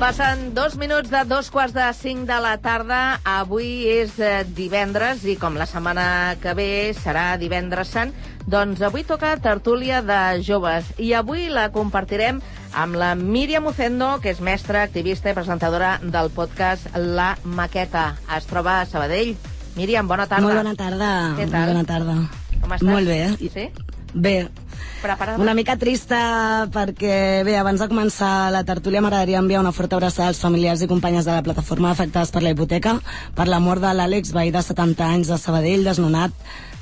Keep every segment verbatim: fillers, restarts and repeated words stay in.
Passen dos minuts de dos quarts de cinc de la tarda. Avui és divendres i com la setmana que ve serà divendres sant, doncs avui toca tertúlia de joves i avui la compartirem amb la Míriam Ucendo, que és mestra, activista i presentadora del podcast La Maqueta. Es troba a Sabadell. Míriam, bona tarda. Molt bona tarda. Què tal? Bona tarda. Com estàs? Molt bé. Sí? Bé. Preparada? Una mica trista perquè, bé, abans de començar la tertúlia m'agradaria enviar una forta abraçada als familiars i companyes de la plataforma afectades per la hipoteca, per la mort de l'Àlex, veí de setanta anys de Sabadell, desnonat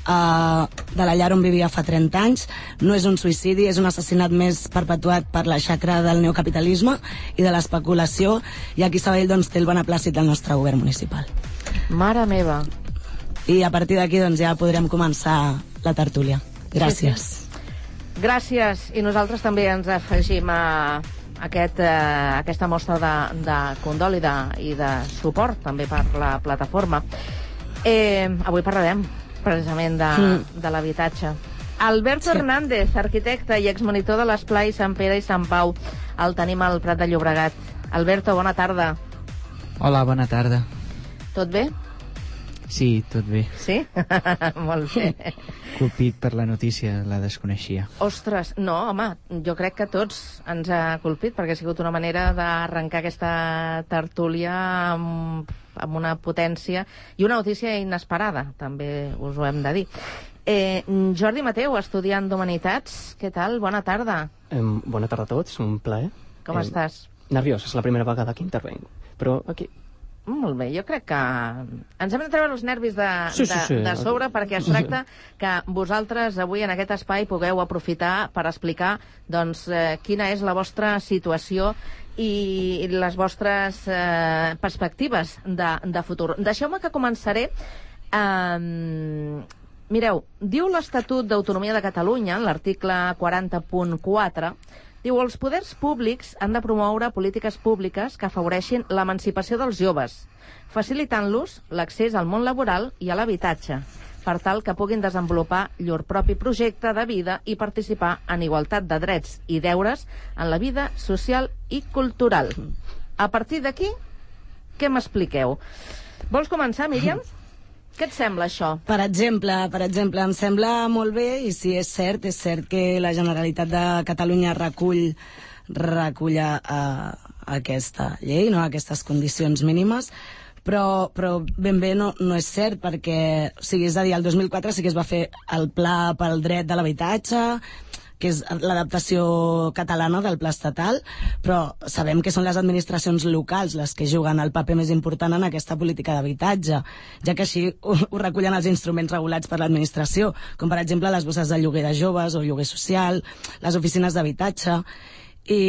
uh, de la llar on vivia fa trenta anys. No és un suïcidi, és un assassinat més perpetuat per la xacra del neocapitalisme i de l'especulació, i aquí Sabadell doncs, té el beneplàcit del nostre govern municipal. Mare meva. I a partir d'aquí doncs, ja podrem començar la tertúlia. Gràcies. Sí, sí. Gràcies, i nosaltres també ens afegim a aquest, eh, aquesta mostra de, de condol i de, i de suport també per la plataforma. Eh, avui parlarem precisament de, mm. de l'habitatge. Alberto sí. Hernández, arquitecte i exmonitor de l'esplai Sant Pere i Sant Pau. El tenim al Prat de Llobregat. Alberto, bona tarda. Hola, bona tarda. Tot bé? Sí, tot bé. Sí? Molt bé. Colpit per la notícia, la desconeixia. Ostres, no, home, jo crec que tots ens ha colpit, perquè ha sigut una manera d'arrencar aquesta tertúlia amb, amb una potència i una notícia inesperada, també us ho hem de dir. Eh, Jordi Mateu, estudiant d'Humanitats, què tal? Bona tarda. Eh, bona tarda a tots, un plaer. Com eh, estàs? Nerviós, és la primera vegada que intervenc, però aquí... Molt bé, jo crec que ens hem de treure els nervis de, sí, sí, sí. de, de sobre, perquè es tracta que vosaltres avui en aquest espai pugueu aprofitar per explicar doncs, eh, quina és la vostra situació i les vostres eh, perspectives de, de futur. Deixeu-me que començaré... Eh, mireu, diu l'Estatut d'Autonomia de Catalunya, l'article quaranta punt quatre, diu, els poders públics han de promoure polítiques públiques que afavoreixin l'emancipació dels joves, facilitant-los l'accés al món laboral i a l'habitatge, per tal que puguin desenvolupar llur propi projecte de vida i participar en igualtat de drets i deures en la vida social i cultural. A partir d'aquí, què m'expliqueu? Vols començar, Míriam? Què et sembla, això? Per exemple, per exemple, em sembla molt bé, i si és cert, és cert que la Generalitat de Catalunya recull, recull a, a aquesta llei, no? Aquestes condicions mínimes, però, però ben bé no, no és cert, perquè, o sigui, és a dir, el dos mil quatre sí que es va fer el Pla pel dret de l'habitatge, que és l'adaptació catalana del pla estatal, però sabem que són les administracions locals les que juguen el paper més important en aquesta política d'habitatge, ja que així ho, ho recullen els instruments regulats per l'administració, com per exemple les bosses de lloguer de joves o lloguer social, les oficines d'habitatge, i,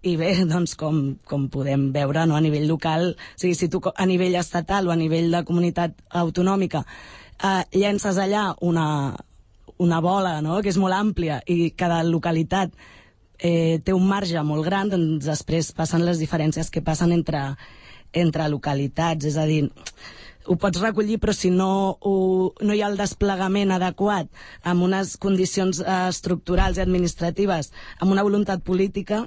i bé, doncs com, com podem veure, no, a nivell local, o sigui, si tu a nivell estatal o a nivell de comunitat autonòmica eh, llences allà una una bola, no?, que és molt àmplia i cada localitat eh, té un marge molt gran, doncs després passen les diferències que passen entre, entre localitats, és a dir, ho pots recollir, però si no, ho, no hi ha el desplegament adequat amb unes condicions eh, estructurals i administratives, amb una voluntat política,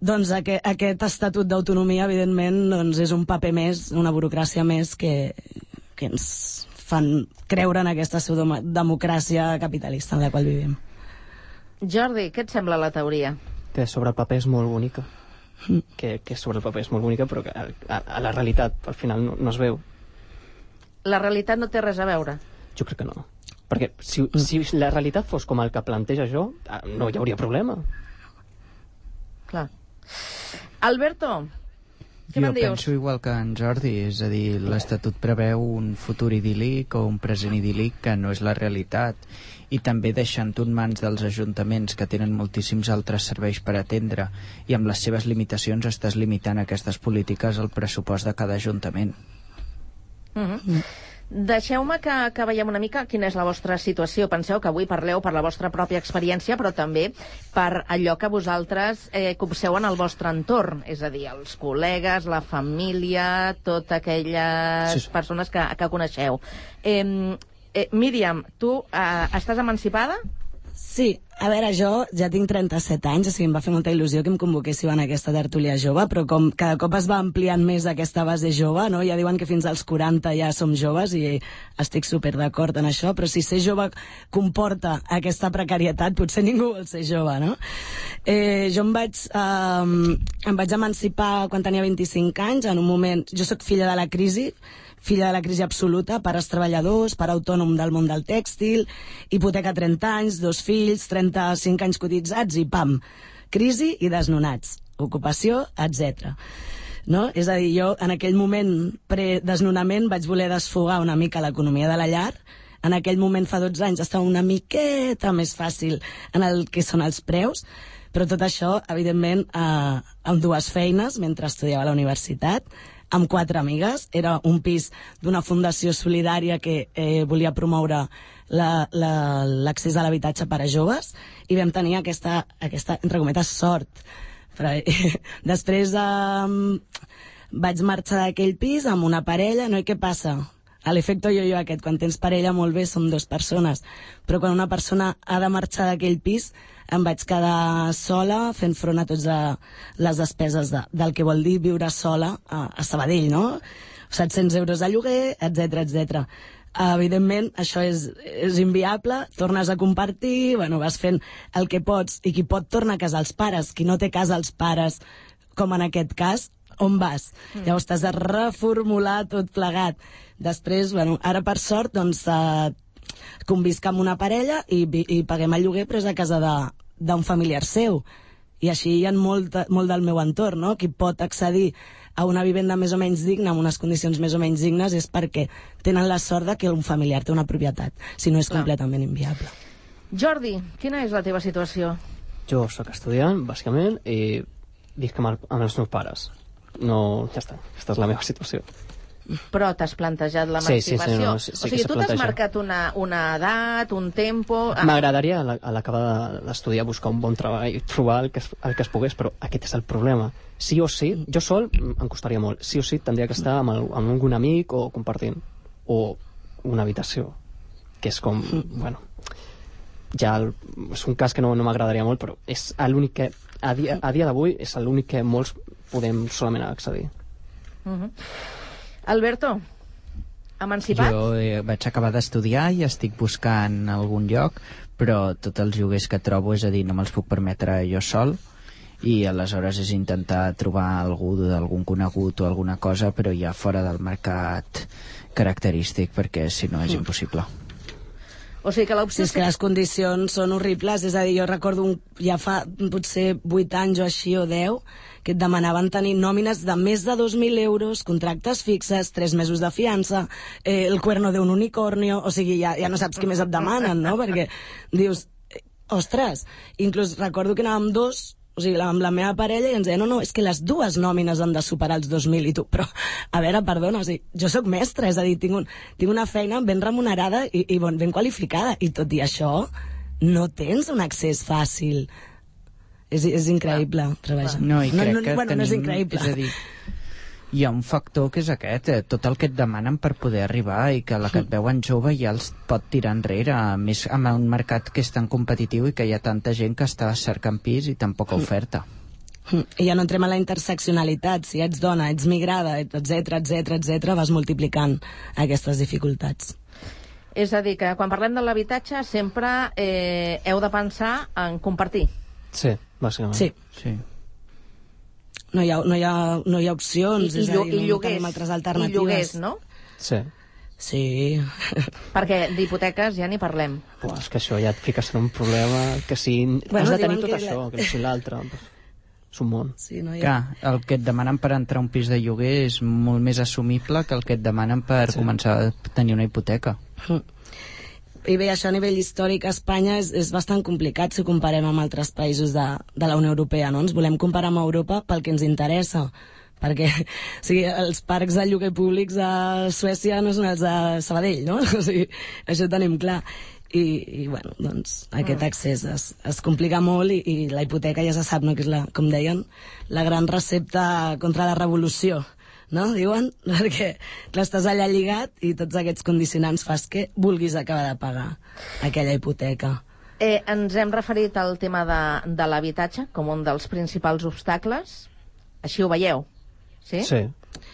doncs aquest, aquest estatut d'autonomia, evidentment, doncs és un paper més, una burocràcia més que, que ens fan creure en aquesta democràcia capitalista en la qual vivim. Jordi, què et sembla la teoria? Que sobre el paper és molt bonica. Mm. Que, que sobre el paper és molt bonica, però que a, a, a la realitat al final no, no es veu. La realitat no té res a veure? Jo crec que no. Perquè si, mm. si la realitat fos com el que planteja jo, no hi hauria problema. Clar. Alberto, què jo me'n dius? penso igual que en Jordi, és a dir, l'Estatut preveu un futur idíl·lic o un present idíl·lic que no és la realitat, i també deixant en mans dels ajuntaments que tenen moltíssims altres serveis per atendre, i amb les seves limitacions estàs limitant aquestes polítiques al pressupost de cada ajuntament. Mm-hmm. Mm. Deixeu-me que, que veiem una mica quina és la vostra situació. Penseu que avui parleu per la vostra pròpia experiència, però també per allò que vosaltres eh, copseu en el vostre entorn, és a dir, els col·legues, la família, totes aquelles sí, sí. persones que, que coneixeu. Eh, eh, Míriam, tu eh, estàs emancipada? Sí, A veure, jo ja tinc trenta-set anys, o sigui, em va fer molta il·lusió que em convoquéssiu en aquesta tertúlia jove, però com cada cop es va ampliant més aquesta base jove, no? Ja diuen que fins als quaranta ja som joves i estic super d'acord en això, però si ser jove comporta aquesta precarietat, potser ningú vol ser jove, no? Eh, jo em vaig, eh, em vaig emancipar quan tenia vint-i-cinc anys, en un moment... Jo sóc filla de la crisi, filla de la crisi absoluta, pares treballadors, pare autònom del món del tèxtil, hipoteca trenta anys, dos fills, trenta-cinc anys cotitzats i pam, crisi i desnonats, ocupació, etcètera. No? És a dir, jo en aquell moment pre-desnonament vaig voler desfogar una mica l'economia de la llar. En aquell moment, fa dotze anys, estava una miqueta més fàcil en el que són els preus, però tot això, evidentment, eh, amb dues feines mentre estudiava a la universitat, amb quatre amigues. Era un pis d'una fundació solidària que eh, volia promoure l'accés a l'habitatge per a joves i vam tenir aquesta, aquesta entre cometes, sort. Però, eh, després eh, vaig marxar d'aquell pis amb una parella, no? I què passa? A l'efecte yo-yo aquest, quan tens parella molt bé som dues persones, però quan una persona ha de marxar d'aquell pis em vaig quedar sola fent front a totes les despeses de, del que vol dir viure sola a, a Sabadell, no? set-cents euros de lloguer, etcètera, etcètera. Evidentment, això és, és inviable, tornes a compartir, bueno, vas fent el que pots, i qui pot torna a casa als pares, qui no té casa als pares, com en aquest cas, on vas? Mm. Llavors t'has de reformular tot plegat. Després, bueno, ara per sort, doncs, eh, convisc amb una parella i, i paguem el lloguer, però és a casa d'un familiar seu. I així hi ha molt, molt del meu entorn, no? Qui pot accedir a una vivenda més o menys digna, amb unes condicions més o menys dignes, és perquè tenen la sort de que un familiar té una propietat, si no és Clar. completament inviable. Jordi, quina és la teva situació? Jo sóc estudiant, bàsicament, i visc amb, el, amb els meus pares. No, ja està, aquesta és la meva situació. Però t'has plantejat l'emancipació? Sí, sí, sí, no, sí, sí, o sigui, tu t'has marcat una, una edat, un tempo... M'agradaria a l'acabar d'estudiar buscar un bon treball i trobar el que, es, el que es pogués, però aquest és el problema. Sí o sí, jo sol em costaria molt, sí o sí tindria que estar amb, el, amb algun amic o compartint, o una habitació, que és com, bueno, ja el, és un cas que no, no m'agradaria molt, però és l'únic que, a dia, a dia d'avui, és l'únic que molts podem solament accedir. Uh-huh. Alberto, emancipat? Jo eh, vaig acabar d'estudiar i estic buscant algun lloc, però tots els lloguers que trobo, és a dir, no me'ls puc permetre jo sol, i aleshores és intentar trobar algú d'algun conegut o alguna cosa, però ja fora del mercat característic, perquè si no és impossible. O sigui que l'opció... Sí, és que les condicions són horribles, és a dir, jo recordo un, ja fa potser vuit anys o així o deu, que et demanaven tenir nòmines de més de dos mil euros, contractes fixes, tres mesos de fiança, eh, el cuerno d'un unicornio, o sigui, ja, ja no saps què més et demanen, no? Perquè dius, ostres, inclús recordo que anàvem dos, o sigui, amb la meva parella, i ens deia, no, no, és que les dues nòmines han de superar els dos mil, i tu, però, a veure, perdona, o sigui, jo sóc mestra, és a dir, tinc, un, tinc una feina ben remunerada i, i bon, ben qualificada, i tot i això, no tens un accés fàcil. És, és increïble, treballar. No, i crec no, no, que bueno, tenim, no és increïble. És a dir, hi ha un factor que és aquest, eh, tot el que et demanen per poder arribar, i que la que et veuen jove ja els pot tirar enrere, a més amb un mercat que és tan competitiu i que hi ha tanta gent que està cercant pis i tan poca oferta. I ja no entrem a la interseccionalitat, si ets dona, ets migrada, etcètera, etcètera, etcètera, vas multiplicant aquestes dificultats. És a dir, que quan parlem de l'habitatge sempre eh, heu de pensar en compartir. Sí, bàsicament. Sí. Sí. No hi ha, no hi ha, no hi ha opcions, I, és i, a dir, i no lloguers, tenim altres alternatives. I lloguers, no? Sí. Sí. Perquè d'hipoteques ja n'hi parlem. Uah, és que això ja et fiques en un problema que si Bueno, has de tenir diuen tot que això, la- que si l'altre, és un món. Sí, no hi ha... Clar, el que et demanen per entrar a un pis de lloguer és molt més assumible que el que et demanen per Sí. començar a tenir una hipoteca. I bé, això a nivell històric a Espanya és, és bastant complicat si ho comparem amb altres països de, de la Unió Europea, no? Ens volem comparar amb Europa pel que ens interessa, perquè o sigui, els parcs de lloguer públics a Suècia no són els de Sabadell, no? O sigui, això ho tenim clar. I, i bueno, doncs aquest accés es, es complica molt i, i la hipoteca ja se sap, no? Que és la, com deien, la gran recepta contra la revolució, no? Diuen, perquè clar, estàs allà lligat i tots aquests condicionants fas que vulguis acabar de pagar aquella hipoteca. Eh, ens hem referit al tema de, de l'habitatge com un dels principals obstacles. Així ho veieu? Sí? Sí.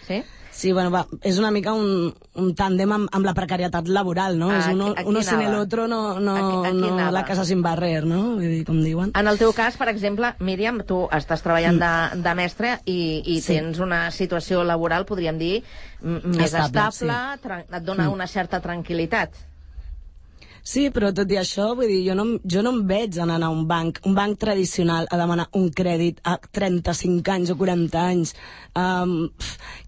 Sí? Sí, bueno, va, és una mica un, un tàndem amb, amb la precarietat laboral, no? Ah, és uno, aquí, aquí uno sin el anava. otro, no, no, Aquí- aquí no anava. la casa sin barrer, no? Vull dir, com diuen. En el teu cas, per exemple, Míriam, tu estàs treballant de, de mestre i, i Sí. tens una situació laboral, podríem dir, m- més Estable, estable, tran- et dona una certa tranquil·litat. Sí, però tot i això, vull dir, jo no, em- jo no em veig anant a un banc, un banc tradicional, a demanar un crèdit a trenta-cinc anys o quaranta anys, um,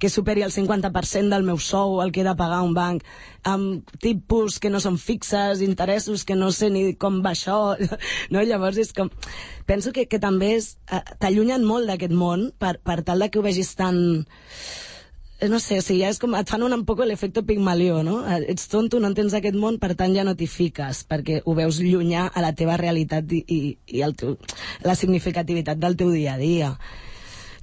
que superi el cinquanta per cent del meu sou, el que he de pagar a un banc, amb tipus que no són fixes, interessos que no sé ni com va això, no? Llavors és com... Penso que, que també és... eh, t'allunyen molt d'aquest món per, per tal de que ho vegis tan... no sé, o sigui, ja és com, et fan un, un poco l'efecte Pigmalió, no? Ets tonto, no entens aquest món, per tant ja no t'hi fiques, perquè ho veus llunyà a la teva realitat i, i, i el teu, la significativitat del teu dia a dia.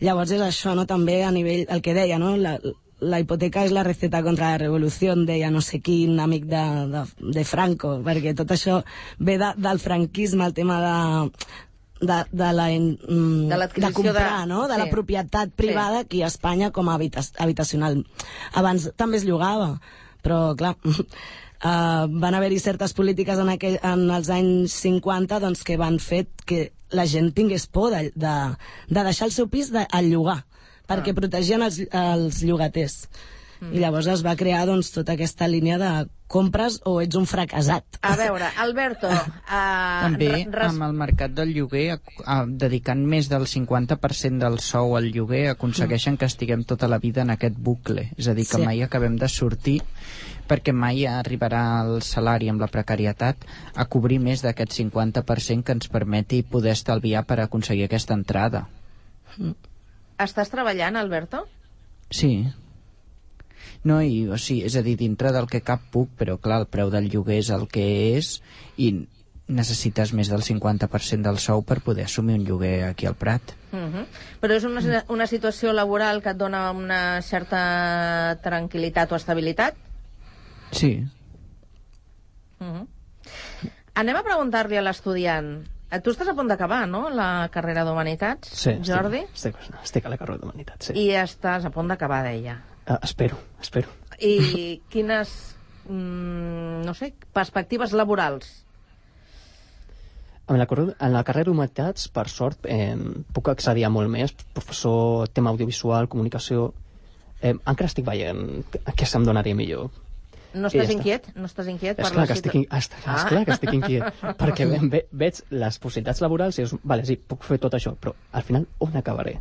Llavors és això, no? També a nivell, el que deia, no? La, la hipoteca és la receta contra la revolució, deia no sé quin amic de, de, de Franco, perquè tot això ve de, del franquisme, el tema de... de, de la mm, De de l'adquisició comprar, de- no? De sí. la propietat privada aquí a Espanya com a habita habitacional. Abans també es llogava, però clar, uh, van haver-hi certes polítiques en, aquell, en els anys cinquanta doncs, que van fer que la gent tingués por de, de, de deixar el seu pis de, a llogar, perquè Ah. protegien els, els llogaters. Mm. I llavors es va crear doncs, tota aquesta línia de compres o ets un fracassat. A veure, Alberto... Uh, També res... amb el mercat del lloguer, a, a, dedicant més del cinquanta per cent del sou al lloguer, aconsegueixen que estiguem tota la vida en aquest bucle. És a dir, que Sí. mai acabem de sortir, perquè mai arribarà el salari amb la precarietat a cobrir més d'aquest cinquanta per cent que ens permeti poder estalviar per aconseguir aquesta entrada. Estàs treballant, Alberto? Sí. No, i, o sigui, és a dir, dintre del que cap puc, però clar, el preu del lloguer és el que és i necessites més del cinquanta per cent del sou per poder assumir un lloguer aquí al Prat. Uh -huh. Però és una, una situació laboral que et dona una certa tranquil·litat o estabilitat? Sí. Uh -huh. Anem a preguntar-li a l'estudiant. Eh, Tu estàs a punt d'acabar, no?, la carrera d'Humanitats, Sí, Jordi? Estic, estic, estic a la carrera d'Humanitats, sí. I estàs a punt d'acabar, deia. Uh, espero, espero. I quines, mm, no sé, perspectives laborals? En la, carre- en la carrera d'Humanitats, per sort, eh, puc accedir a molt més. Professor, tema audiovisual, comunicació... Eh, encara estic veient què se'm donaria millor. No I ja estàs està. inquiet? No estàs inquiet? És per clar, la que situ- estic, in... ah, Ah. és clar que estic inquiet, perquè ve, ve, veig les possibilitats laborals i dius, vale, sí, puc fer tot això, però al final on acabaré?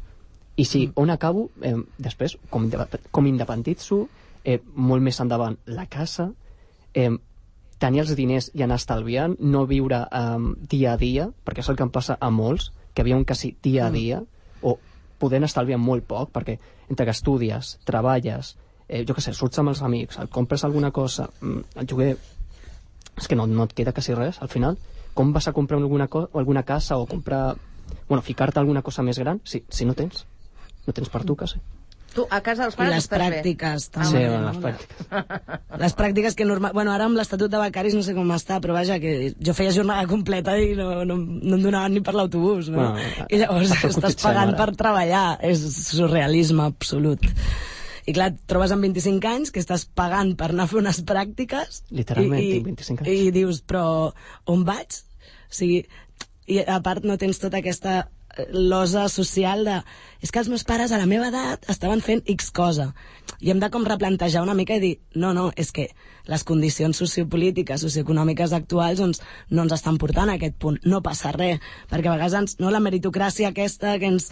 I si on acabo, eh, després, com, inde- com independitzo, eh, molt més endavant la casa, eh, tenir els diners i anar estalviant, no viure eh, dia a dia, perquè és el que em passa a molts, que viuen quasi dia a dia, o podent estalviar molt poc, perquè entre que estudies, treballes, eh, jo què sé, surts amb els amics, et compres alguna cosa, mm, el lloguer, és que no, no et queda quasi res, al final. Com vas a comprar alguna, co alguna casa o comprar... Bueno, ficar-te alguna cosa més gran si, si no tens? No tens per tu, quasi. Tu, a casa dels I pares les estàs pràctiques, bé? també. Sí, no? bueno, les pràctiques. Les pràctiques que normal... Bueno, ara amb l'Estatut de Becaris no sé com està, però vaja, que jo feia jornada completa i no, no, no em donaven ni per l'autobús, no? Bueno, I llavors per això estàs cotitzem pagant ara. per treballar. És surrealisme absolut. I clar, et trobes amb vint-i-cinc anys que estàs pagant per anar a fer unes pràctiques Literalment, i, tinc vint-i-cinc anys. i dius, però on vaig? O sigui, i a part no tens tota aquesta losa social de... És que els meus pares a la meva edat estaven fent X cosa. I hem de com replantejar una mica i dir, no, no, és que les condicions sociopolítiques, socioeconòmiques actuals doncs, no ens estan portant a aquest punt. No passa res, perquè a vegades ens, no, la meritocràcia aquesta que ens,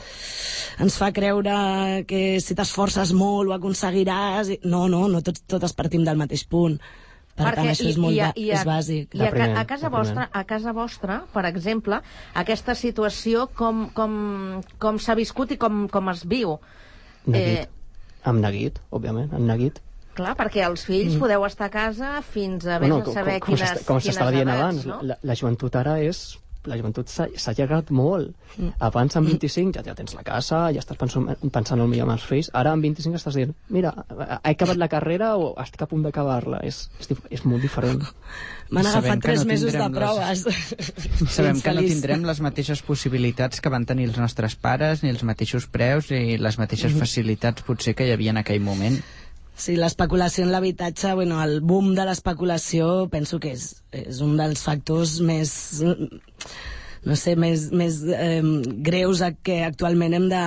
ens fa creure que si t'esforces molt ho aconseguiràs... I... No, no, no tots, totes partim del mateix punt. Per Perquè tant, això és i- molt i a- ba- i a- és bàsic. I a, ca- Primer, a casa de primer. vostra, a casa vostra, per exemple, aquesta situació com, com, com s'ha viscut i com, com es viu? Neguit. Amb neguit, òbviament, amb neguit. Clar, perquè els fills mm. podeu estar a casa fins a vés Bueno, a saber com, com, quines, s'està- com quines s'estava dient edats, abans, no? la, la joventut ara és la joventut s'ha allargat molt. Mm. Abans, amb vint-i-cinc, ja, ja tens la casa, ja estàs pensant, pensant el millor amb els fills. Ara, amb vint-i-cinc, estàs dient, mira, he acabat la carrera o estic a punt d'acabar-la. És, és, és molt diferent. M'han agafat tres no mesos de proves. Les... Sabem que no tindrem les mateixes possibilitats que van tenir els nostres pares, ni els mateixos preus, ni les mateixes mm. facilitats, potser, que hi havia en aquell moment. Sí, l'especulació en l'habitatge, bueno, el boom de l'especulació penso que és, és un dels factors més, no sé, més, més eh, greus que actualment hem de,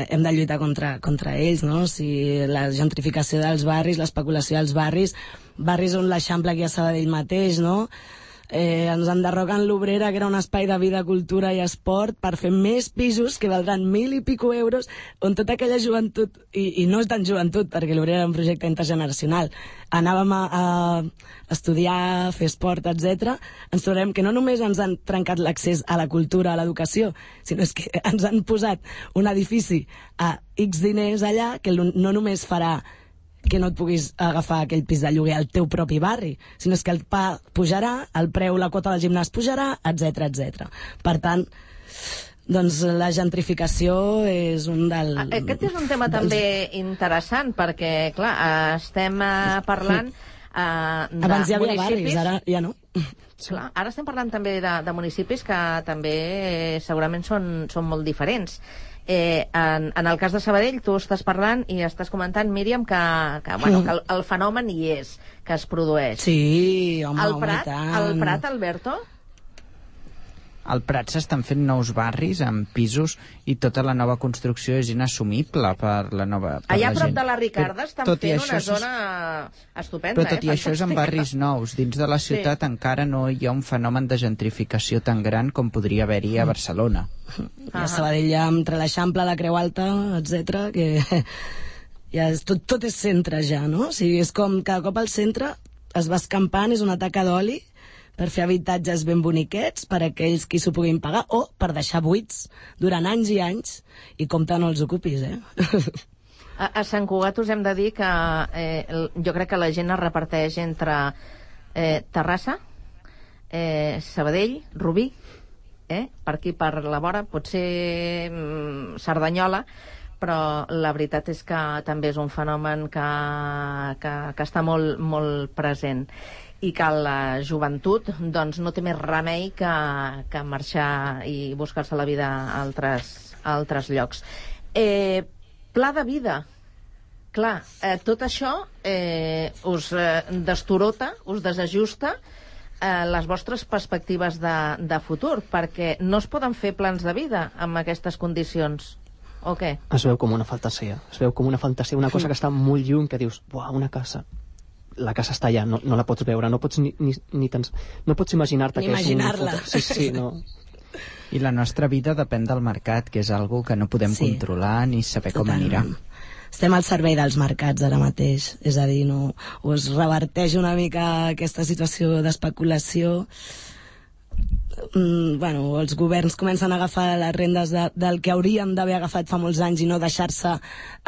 hem de lluitar contra, contra ells, no? O sigui, la gentrificació dels barris, l'especulació dels barris, barris on l'Eixample aquí a Sabadell mateix, no? Eh, ens enderroguen l'Obrera, que era un espai de vida, cultura i esport, per fer més pisos que valdran mil i pico euros, on tota aquella joventut, i, i no és tan joventut, perquè l'Obrera era un projecte intergeneracional, anàvem a, a estudiar, a fer esport, etcètera. Ens trobem que no només ens han trencat l'accés a la cultura, a l'educació, sinó és que ens han posat un edifici a X diners allà, que no només farà que no et puguis agafar aquell pis de lloguer al teu propi barri, sinó és que el pa pujarà, el preu, la quota del gimnàs pujarà, etcètera, etcètera. Per tant, doncs la gentrificació és un del... Aquest és un tema dels... també interessant, perquè, clar, estem parlant uh, de Abans hi havia municipis... barris, ara ja no. Clar, ara estem parlant també de, de municipis que també eh, segurament són, són molt diferents. Eh, en, en el cas de Sabadell, tu estàs parlant i estàs comentant, Míriam, que, que, bueno, que el, el fenomen hi és, que es produeix. Sí, home, el Prat, home, tant. El Prat, Alberto? Al Prat s'estan fent nous barris amb pisos i tota la nova construcció és inassumible per la nova per Allà la a prop gent. de la Ricarda estan tot fent una això zona estupenda. Però tot eh? i això és en barris nous. Dins de la ciutat sí. encara no hi ha un fenomen de gentrificació tan gran com podria haver-hi a Barcelona. I a Sabadell hi ha entre l'Eixample, la Creu Alta, etcètera, que ja és, tot, tot és centre ja, no? O sigui, és com cada cop al centre es va escampant, és una taca d'oli per fer habitatges ben boniquets per a aquells qui s'ho puguin pagar o per deixar buits durant anys i anys i compte no els ocupis, eh? A, a Sant Cugat us hem de dir que eh, jo crec que la gent es reparteix entre eh, Terrassa, eh, Sabadell, Rubí, eh, per aquí per la vora, potser mm, Cerdanyola, però la veritat és que també és un fenomen que, que, que està molt, molt present i que la joventut doncs, no té més remei que, que marxar i buscar-se la vida a altres, a altres llocs. Eh, pla de vida. Clar, eh, tot això eh, us eh, destorota, us desajusta eh, les vostres perspectives de, de futur, perquè no es poden fer plans de vida amb aquestes condicions. O què? Es veu com una fantasia. Es veu com una fantasia, una cosa que està molt lluny, que dius, buah, una casa. La casa està allà, no, no la pots veure, no pots ni, ni, ni tens, no pots imaginar-te que imaginar-la. és un... Sí, sí, no. I la nostra vida depèn del mercat, que és algo que no podem sí. controlar ni saber com Totalment. anirà. Estem al servei dels mercats ara mateix, és a dir, no, o es reverteix una mica aquesta situació d'especulació, mm, bueno, els governs comencen a agafar les rendes de, del que haurien d'haver agafat fa molts anys i no deixar-se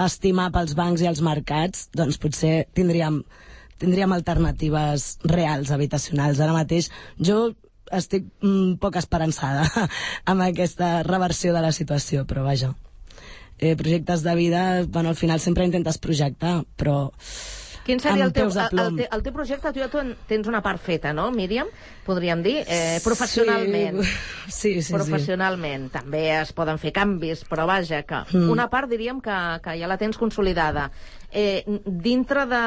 estimar pels bancs i els mercats, doncs potser tindríem tindríem alternatives reals habitacionals. Ara mateix jo estic mm, poc esperançada amb aquesta reversió de la situació, però vaja, eh, projectes de vida, bueno, al final sempre intentes projectar, però quin seria el teu, el, el, te, el teu projecte? Tu ja tu tens una part feta, no, Míriam? Podríem dir, eh, professionalment. Sí, sí, sí. Professionalment. Sí. També es poden fer canvis, però vaja, que mm. una part diríem que, que ja la tens consolidada. Eh, dintre de,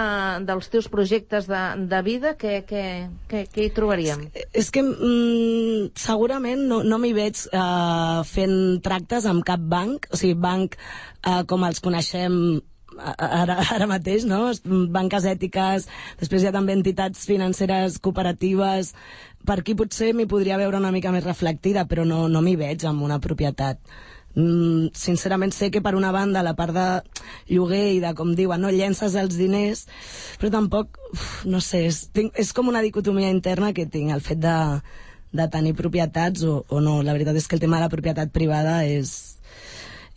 dels teus projectes de, de vida, què, què, què, què hi trobaríem? És, és que mm, segurament no, no m'hi veig eh, fent tractes amb cap banc, o sigui, banc eh, com els coneixem Ara, ara mateix, no? Banques ètiques, després hi ha també entitats financeres cooperatives. Per aquí potser m'hi podria veure una mica més reflectida, però no, no m'hi veig amb una propietat. Mm, sincerament sé que per una banda la part de lloguer i de, com diuen, no, llences els diners, però tampoc, uf, no sé, és, tinc, és com una dicotomia interna que tinc, el fet de, de tenir propietats o, o no. La veritat és que el tema de la propietat privada és,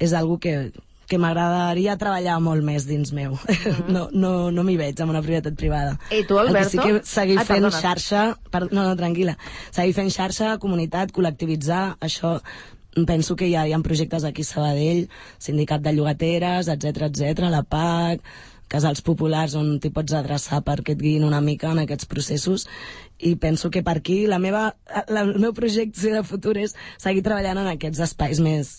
és algo que que m'agradaria treballar molt més dins meu. Mm. No, no, no m'hi veig amb una propietat privada. I tu, Alberto? El que sí que seguir ah, fent perdona. xarxa... Per, no, no, tranquil·la. Seguir fent xarxa, comunitat, col·lectivitzar, això... Penso que hi ha, hi ha projectes aquí a Sabadell, Sindicat de Llogateres, etcètera, etcètera, la P A C, casals populars on t'hi pots adreçar perquè et guiïn una mica en aquests processos, i penso que per aquí la meva, la, el meu projecte de futur és seguir treballant en aquests espais més,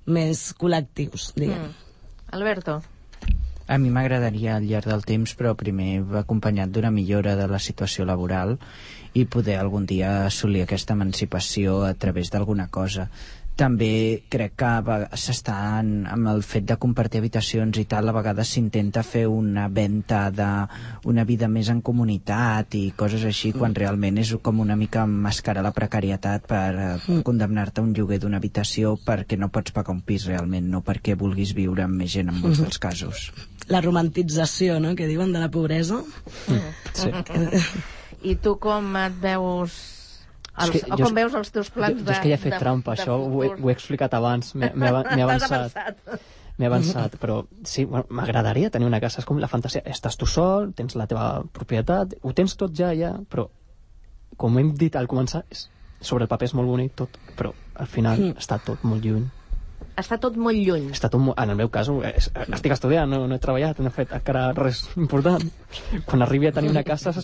més col·lectius, diguem. Mm. Alberto? A mi m'agradaria al llarg del temps, però primer acompanyat d'una millora de la situació laboral i poder algun dia assolir aquesta emancipació a través d'alguna cosa. També crec que s'està amb el fet de compartir habitacions i tal, a vegades s'intenta fer una venda d'una vida més en comunitat i coses així, quan realment és com una mica emmascarar la precarietat per eh, condemnar-te a un lloguer d'una habitació perquè no pots pagar un pis realment, no perquè vulguis viure amb més gent en molts dels casos. La romantització, no?, que diuen, de la pobresa. Mm. Sí. I tu com et veus... Els, o com veus els teus plans de... Jo és que ja he fet de, trampa, de això ho he, ho he explicat abans, m'he avançat. M'he avançat, però sí, bueno, m'agradaria tenir una casa, és com la fantasia, estàs tu sol, tens la teva propietat, ho tens tot ja, ja, però com hem dit al començar, és, sobre el paper és molt bonic tot, però al final mm. està tot molt lluny. Està tot molt lluny. Està tot molt... En el meu cas, és, estic estudiant, no, no he treballat, no he fet encara res important. Quan arribi a tenir una casa...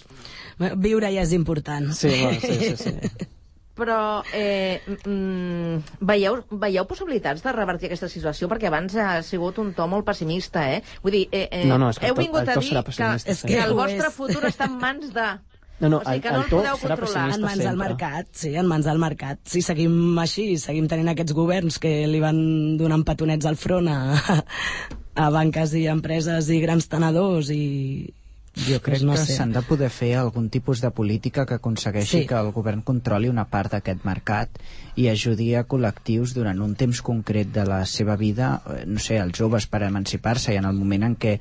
Viure ja és important. Sí, bueno, sí, sí, sí. Però eh, mm, veieu, veieu possibilitats de revertir aquesta situació? Perquè abans ha sigut un to molt pessimista, eh? Vull dir, eh, eh, no, no, és que heu vingut el to, el a dir que, és que el ho vostre és. futur està en mans de... No, no, o sigui que el, no el el to podeu serà controlar. En mans sempre. del mercat, sí, en mans del mercat. Si seguim així, seguim tenint aquests governs que li van donant petonets al front a, a banques i empreses i grans tenedors i... Jo crec no que sé. s'han de poder fer algun tipus de política que aconsegueixi Sí. que el govern controli una part d'aquest mercat i ajudi a col·lectius durant un temps concret de la seva vida, eh, no sé, els joves per emancipar-se, i en el moment en què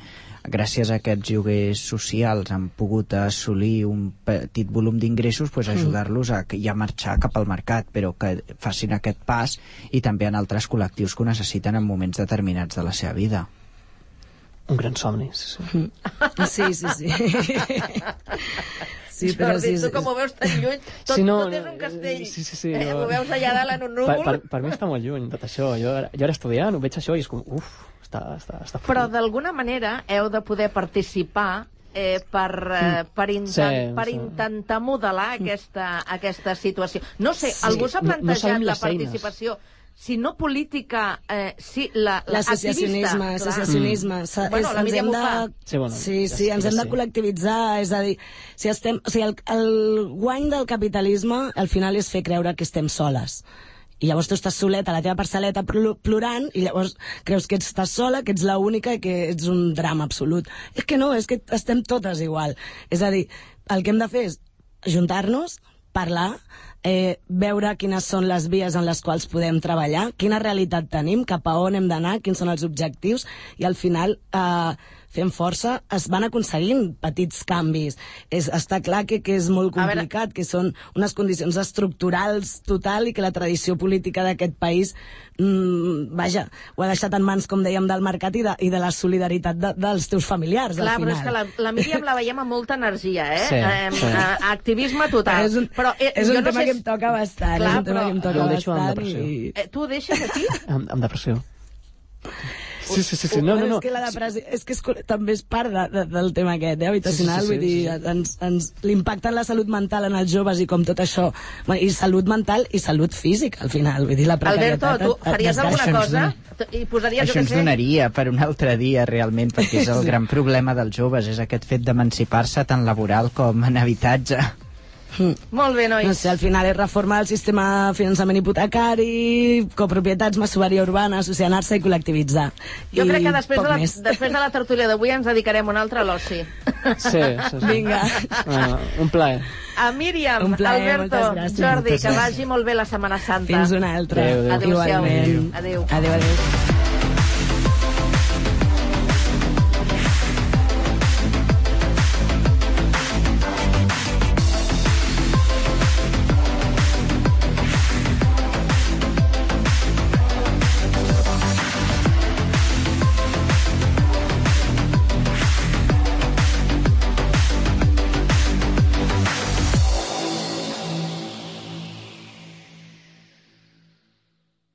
gràcies a aquests lloguers socials han pogut assolir un petit volum d'ingressos, pues ajudar-los a ja marxar cap al mercat, però que facin aquest pas, i també en altres col·lectius que ho necessiten en moments determinats de la seva vida. Un gran somni, sí, sí. Sí, sí, sí. Sí, però Jordi, sí, tu com ho veus tan lluny, tot, Sí, no, tot és un castell. sí, sí, sí, eh, no. Ho veus allà dalt en un Per, núvol. per, per mi està molt lluny tot això. Jo, ara- jo ara estudiant, ho veig això i és com, uf, està, està, està Però fort. d'alguna manera heu de poder participar eh, per, eh, per, intent, Sí, per sí. intentar modelar aquesta, aquesta situació. No sé, Sí. algú s'ha No- no plantejat sabem la les eines. participació, si no política, eh, sí, la, la L'associacionisme, activista, l'associacionisme. Mm. Bueno, la ens Míriam hem ho fa. Sí, bueno, sí, ja sí, sé, ens ja hem de sé. col·lectivitzar, és a dir, si estem, o sigui, el, el guany del capitalisme al final és fer creure que estem soles. I llavors tu estàs soleta a la teva parcel·leta pl- plorant i llavors creus que estàs sola, que ets l'única i que ets un drama absolut. És que no, és que estem totes igual. És a dir, el que hem de fer és ajuntar-nos, parlar, eh, veure quines són les vies en les quals podem treballar, quina realitat tenim, cap a on hem d'anar, quins són els objectius, i al final, eh, fent força, es van aconseguint petits canvis. És, està clar que, que és molt A veure- complicat, que són unes condicions estructurals total i que la tradició política d'aquest país, mm, vaja, ho ha deixat en mans, com dèiem, del mercat i de, i de la solidaritat de, dels teus familiars, Clar, al però final. és que la, la Míriam la veiem amb molta energia, eh? Sí, eh, sí. eh, activisme total. És un, però, eh, és un jo no tema sé que si- em toca bastant, Clar, és un tema però- que em toca Jo ho deixo amb bastant. depressió. I... Eh, tu ho deixes aquí? Amb, amb depressió. Sí, sí, sí, sí. No, No, no, no. És que la depressió és que és, també és part de, de, del tema aquest, eh, habitacional, Sí, sí, sí, vull dir, sí, sí. ens, ens, l'impacte en la salut mental en els joves i com tot això, bueno, i salut mental i salut física, al final, vull dir, la Alberto, precarietat... tu et- et faries desgasta. alguna Això ens cosa? I posaries, Això jo què ens sé... donaria per un altre dia, realment, perquè és el gran problema dels joves, és aquest fet d'emancipar-se tant laboral com en habitatge. Molt bé, nois. No sé, al final és reformar el sistema de finançament hipotecari, copropietats, masoveria urbana, associar-se i col·lectivitzar. Jo I crec que després poc de, la, més. després de la tertúlia d'avui ens dedicarem un altre a l'oci. Sí, sí, sí. Vinga. Bueno, un plaer. A Míriam, Un plaer, Alberto, moltes gràcies. Jordi, Moltes que gràcies. vagi molt bé la Setmana Santa. Fins una altra. Adéu, adéu. Adéu-siau. Igualment. Adéu. Adéu, adéu.